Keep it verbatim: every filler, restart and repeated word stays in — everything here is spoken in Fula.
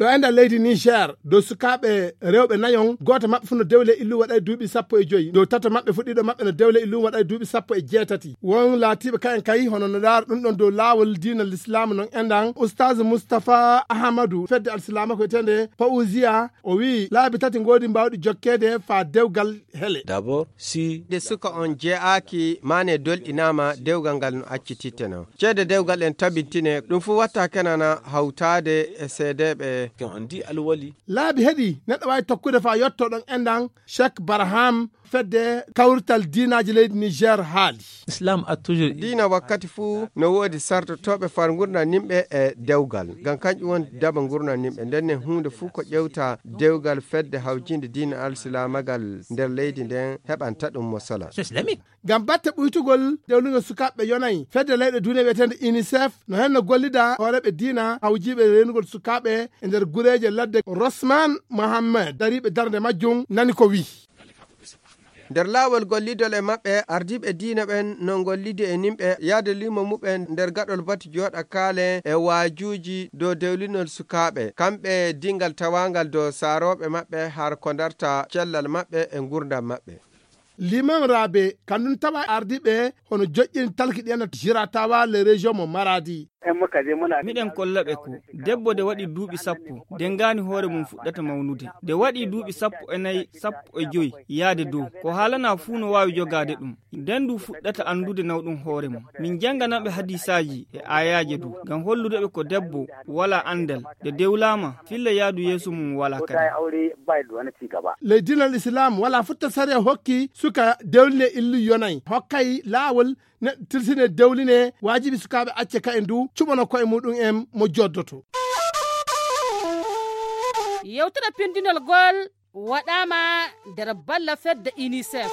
Ɗo e nder leydi Niger, dow sukaaɓe rewɓe nayon, gooto maɓɓe fof no dewle illu waɗa e duuɓi sappo e joyi. Dow tato maɓɓe fof, ɗiɗo maɓɓe no dewle illu waɗa e duuɓi sappo e jeetati. Won laatiiɓe kayen kay, hono no ndaara ɗum ɗon dow laawol diina Lislaamu non enɗan, Ustaz Mustapha Ahamadu, fedde Alsilaama ko wiyeteende Fawziya, o wiyi laabi tati ngoodi mbaawɗi jokkeede faa dewgal hele. D'abord, si nde suka on jeyaaki, maane dolɗinaama, dewgal ngal no accititte non. Ceede dewgal en tabintine, ɗum fof watta kenana hawtaade e seedeeɓe. Quand on dit alwali. Laabi heɗi, neɗɗo waawi tokkude faa yotto ɗon enɗan, Cheikh Barham, fedde kawrital diinaaji leydi Niger haali. Islam a toujours Diina wakkati fuu no woodi sartotooɓe far ngurndan nimɓe e dewgal. Ngam kanƴum woni daba ngurndan nimɓe. Nden ne huunde fuu ko ƴewta dewgal fedde hawjiinde diina alsilaamagal nder leydi nden heɓanta ɗum mosala. C'est islamique. Ngam batte ɓuytugol dewlingol sukaaɓe yonay, fedde leyɗe duniya wiyeteende UNICEF no hen no gollida hooreeɓe diina hawjiiɓe reenugol sukaaɓe e nder gureeje ladde. Rosman Mohammed, dariiɓe darnde majjum, nani ko wi'i. Nder laawol gollidol e maɓɓe, ardiiɓe diina ɓen no ngollidi e nimɓe yaade limo muɓɓen nder gaɗol batu jooɗa kaale e waajuuji dow dewlinol sukaaɓe, kamɓe dingal tawaangal dow saarooɓe maɓɓe har ko darta cellal maɓɓe e ngurndan maɓɓe. Liman Rabe, kanum tawa ardiiɓe hono joƴƴini talki ɗi ena jiratawa le région mo Maradi. Miɗen kolla ɓe ko debbo de waɗi duuɓi sappo, de ngaani hoore mum fuɗɗata mawnude. De waɗi duuɓi sappo e nayi, sappo e joyi, yaade dow. Ko haalana fuu no waawi jogaade ɗum. Den du fuɗɗata anndude nawɗum hoore mum. Min janngana ɓe hadiisaaji e aayaaje du, ngam hollude ɓe ko debbo walaa anndal, de dewlaama, filla yaadu yeeso mum walaa kadi. Ley diinal Islaam, walaa fotta sariya hokki suka dewline illu yonay. Hokkay laawol neɗɗo tilsine dewline, waajibi sukaaɓe acce ka'en du, cuɓano ko'e muɗum en mo joddoto. Yewtere pindinol gol waɗaama nder balla fedde UNICEF.